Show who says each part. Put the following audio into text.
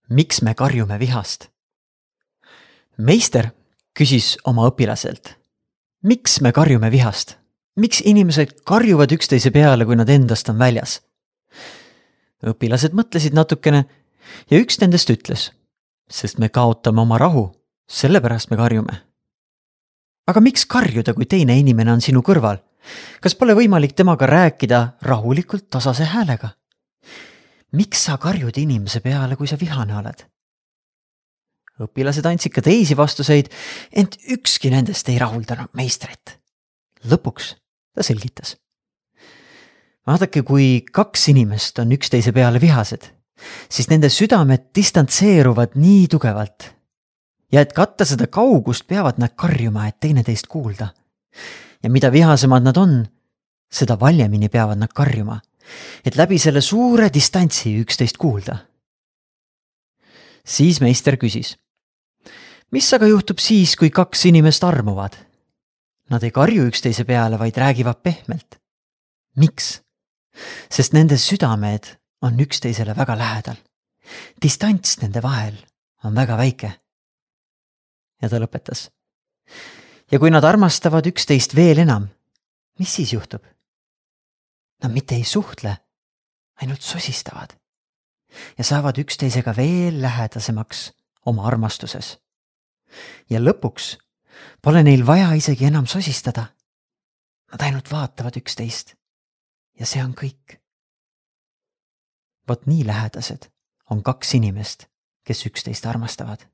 Speaker 1: Miks me karjume vihast? Meister küsis oma õpilaselt. Miks me karjume vihast? Miks inimesed karjuvad üksteise peale, kui nad endast on väljas? Õpilased mõtlesid natukene ja üks nendest ütles, sest me kaotame oma rahu, sellepärast me karjume. Aga miks karjuda, kui teine inimene on sinu kõrval? Kas pole võimalik temaga rääkida rahulikult tasase häälega? Miks sa karjud inimese peale, kui sa vihane oled? Õpilased andsid ka teisi vastuseid, ent ükski nendest ei rahuldanud meistrit. Lõpuks ta selgitas. Vaadake, kui kaks inimest on üksteise peale vihased, siis nende südamed distantseeruvad nii tugevalt. Ja et katta seda kaugust, peavad nad karjuma, et teineteist kuulda. Ja mida vihasemad nad on, seda valjemini peavad nad karjuma, et läbi selle suure distantsi üksteist kuulda. Siis meister küsis. Mis aga juhtub siis, kui kaks inimest armuvad? Nad ei karju üksteise peale, vaid räägivad pehmelt. Miks? Sest nende südamed on üksteisele väga lähedal. Distants nende vahel on väga väike. Ja ta lõpetas. Ja kui nad armastavad üksteist veel enam, mis siis juhtub? Nad mitte ei suhtle, ainult sosistavad ja saavad üksteisega veel lähedasemaks oma armastuses. Ja lõpuks pole neil vaja isegi enam sosistada. Nad ainult vaatavad üksteist ja see on kõik. Vot nii lähedased on kaks inimest, kes üksteist armastavad.